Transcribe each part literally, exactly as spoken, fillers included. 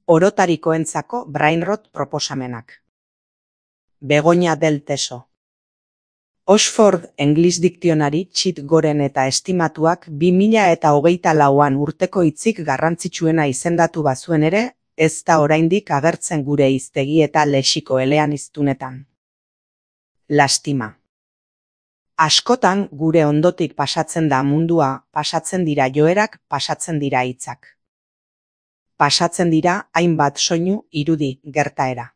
Orotarikoentzako brainrot proposamenak. Begoña del Teso. Oxford English Dictionary txit goren eta estimatuak bi mila eta hogeita lauan urteko hitzik garrantzitsuena izendatu bazuen ere, ez da oraindik agertzen gure hiztegi eta lexiko eleaniztunetan. Lastima. Askotan gure ondotik pasatzen da mundua, pasatzen dira joerak, pasatzen dira hitzak. Pasatzen dira hainbat soinu, irudi, gertaera.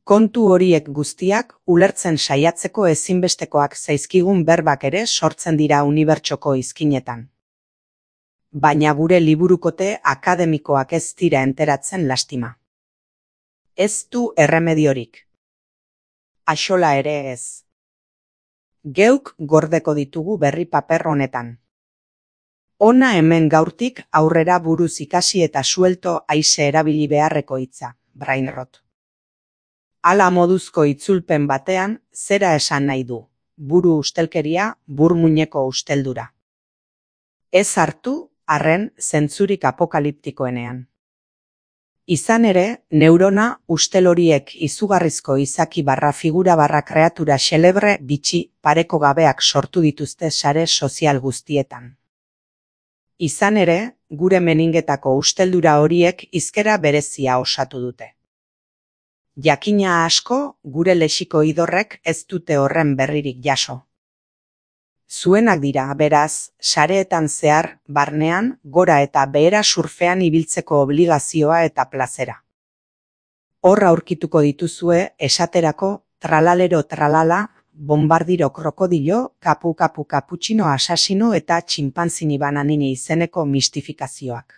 Kontu horiek guztiak ulertzen saiatzeko ezinbestekoak zaizkigun berbak ere sortzen dira unibertsoko izkinetan. Baina gure liburukote akademikoak ez dira enteratzen lastima. Ez du erremediorik. Axola ere ez. Geuk gordeko ditugu berri paper honetan. Ona hemen gaurtik aurrera buruz ikasi eta suelto haize erabili beharreko hitza, brainrot. Hala moduzko itzulpen batean, zera esan nahi du, buru ustelkeria, burmuineko usteldura. Ez hartu, arren, zentzurik apokaliptikoenean. Izan ere, neurona ustel horiek izugarrizko izaki barra figura barra kreatura xelebre bitxi pareko gabeak sortu dituzte sare sozial guztietan. Izan ere, gure meningetako usteldura horiek hizkera berezia osatu dute. Jakina asko, gure lexiko idorrek ez dute horren berririk jaso. Zuenak dira, beraz, sareetan zehar, barnean, gora eta behera surfean ibiltzeko obligazioa eta plazera. Horra aurkituko dituzue, esaterako, tralalero tralala, bombardiro krokodilo, kapu kapu kaputxino asasino eta txinpanzini bananini izeneko mistifikazioak.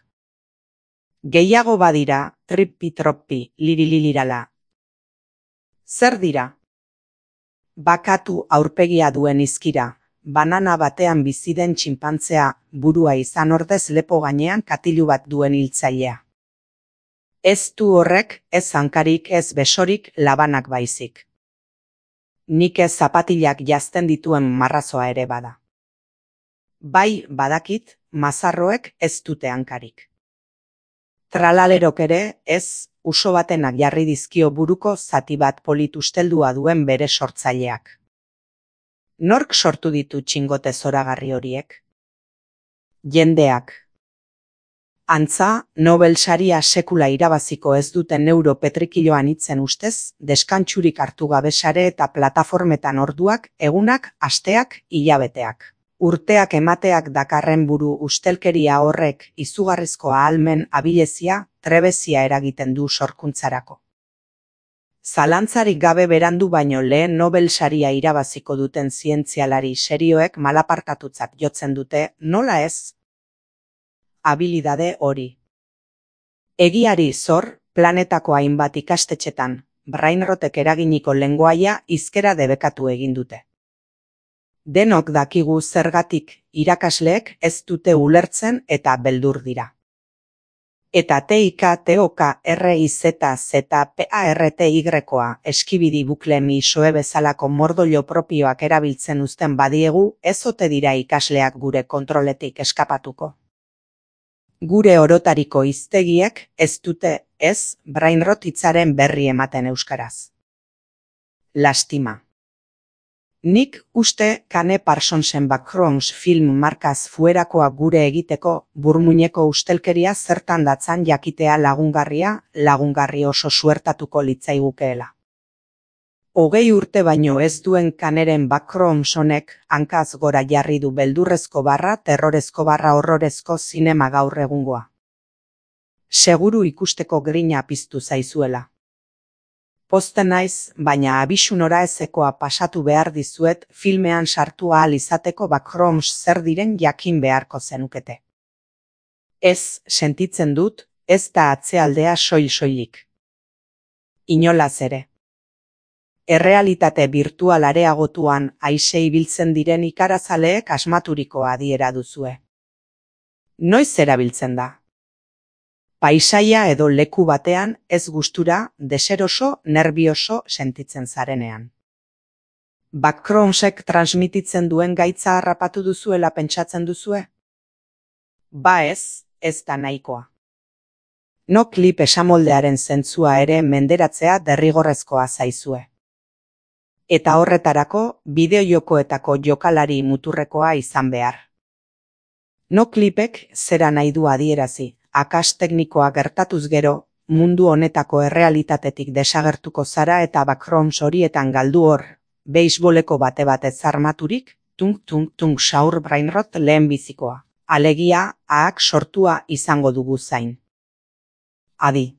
Gehiago badira, trippi-troppi, lirililirala. Zer dira? Bakatu aurpegia duen izkira, banana batean bizi den txinpantzea, burua izan ordez lepo gainean katilu bat duen hiltzailea. Ez du horrek, ez hankarik, ez besorik, labanak baizik. Nik ez zapatilak jazten dituen marrazoa ere bada. Bai, badakit, mazarroek ez dute hankarik. Tralalerok ere, ez, uso batenak jarri dizkio buruko zati bat polit usteldua duen bere sortzaileak. Nork sortu ditu txingote zoragarri horiek? Jendeak. Antza, Nobel saria sekula irabaziko ez duten neuropetrikiloan hitzen ustez, deskantsurik hartu gabe sare eta plataformetan orduak, egunak, asteak, hilabeteak. Urteak emateak dakarren buru ustelkeria horrek izugarrizko ahalmen abilezia, trebezia eragiten du sorkuntzarako. Zalantzarik gabe berandu baino lehen Nobel saria irabaziko duten zientzialari serioek malapartatutzat jotzen dute, nola ez? Abilidade hori. Egiari zor, planetako hainbat ikastetxetan, brainrotek eraginiko lengoaia hizkera debekatu egin dute. Denok dakigu zergatik, irakasleek ez dute ulertzen eta beldur dira. Eta T I K T O K R I Z Z P A R T Y-koa eskibidi bukle misoe bezalako mordoilo propioak erabiltzen uzten badiegu, ez ote dira ikasleak gure kontroletik eskapatuko. Gure orotariko hiztegiek ez dute, ez, brainrot hitzaren berri ematen euskaraz. Lastima. Nik uste Kane Parsonsen Backrooms film markaz fuerakoa gure egiteko burmuineko ustelkeria zertan datzan jakitea lagungarria, lagungarri oso suertatuko litzaigukeela. Hogei urte baino ez duen Kaneren Backrooms honek hankaz gora jarri du beldurrezko barra, terrorezko barra horrorezko zinema gaur egungoa. Seguru ikusteko grina piztu zaizuela. Pozten naiz, baina abisu nora ezekoa pasatu behar dizuet filmean sartu ahal izateko Backrooms zer diren jakin beharko zenukete. Ez, sentitzen dut, ez da atzealdea soil-soilik. Inolaz ere. Errealitate birtual areagotuan haize ibiltzen diren ikarazaleek asmaturiko adiera duzue. Noiz erabiltzen da? Paisaia edo leku batean ez gustura, deseroso, nerbioso sentitzen zarenean. Backroomsek transmititzen duen gaitza harrapatu duzuela pentsatzen duzue? Ba ez, ez da nahikoa. No klip esamoldearen zentzua ere menderatzea derrigorrezkoa zaizue. Eta horretarako, bideojokoetako jokalari muturrekoa izan behar. No klipek zera nahi du adierazi, akas teknikoa gertatuz gero, mundu honetako errealitatetik desagertuko zara eta backgrounds horietan galdu hor, beisboleko bate batez armaturik, tung tung tung saur brainrot lehen bizikoa. Alegia, ahak sortua izango dugu zain. Adi.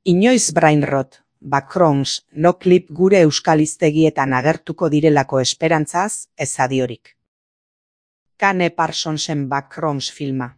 Inoiz brainrot, backgrounds, no clip gure euskal hiztegietan agertuko direlako esperantzaz, ez adiorik. Kane Parsonsen Backgrounds filma.